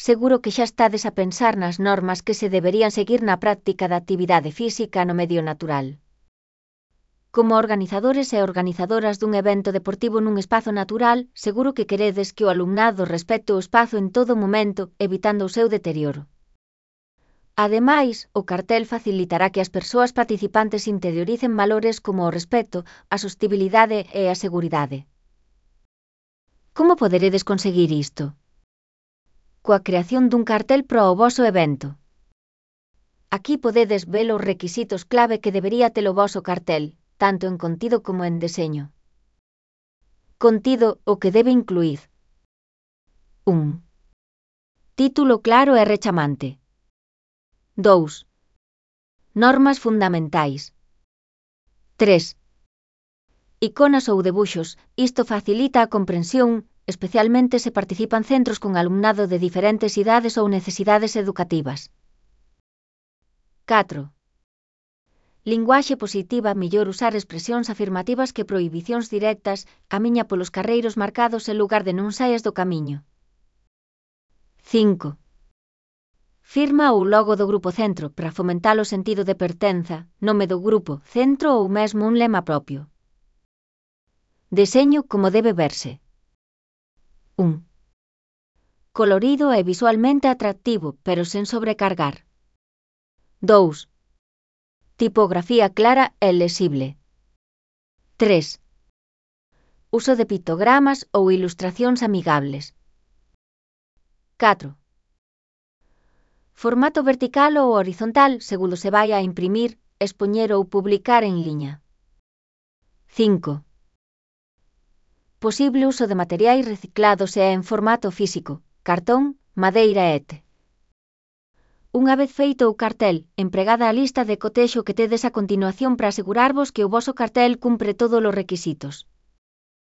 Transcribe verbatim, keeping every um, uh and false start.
seguro que xa estades a pensar nas normas que se deberían seguir na práctica da actividade física no medio natural. Como organizadores e organizadoras dun evento deportivo nun espazo natural, seguro que queredes que o alumnado respecte o espazo en todo momento, evitando o seu deterioro. Ademais, o cartel facilitará que as persoas participantes interioricen valores como o respecto, a sostibilidade e a seguridade. Como poderedes conseguir isto? Coa creación dun cartel para o voso evento. Aquí podedes ver os requisitos clave que debería ter o voso cartel, tanto en contido como en deseño. Contido, o que debe incluir. un. Título claro e rechamante. dous. Normas fundamentais. tres. Iconas ou debuxos, isto facilita a comprensión, especialmente se participan centros con alumnado de diferentes idades ou necesidades educativas. catro. Linguaxe positiva, mellor usar expresións afirmativas que prohibicións directas, camiña polos carreiros marcados en lugar de non saias do camiño. cinco. Firma ou logo do grupo centro para fomentar o sentido de pertenza, nome do grupo, centro ou mesmo un lema propio. Deseño como debe verse. un. Colorido e visualmente atractivo, pero sen sobrecargar. dous. Tipografía clara e lexible. tres. Uso de pictogramas ou ilustracións amigables. catro. Formato vertical ou horizontal segundo se vai a imprimir, expoñer ou publicar en liña. cinco. Posible uso de materiais reciclados e en formato físico, cartón, madeira et cetera. Unha vez feito o cartel, empregada a lista de cotexo que tedes a continuación para asegurarvos que o voso cartel cumpre todos os requisitos.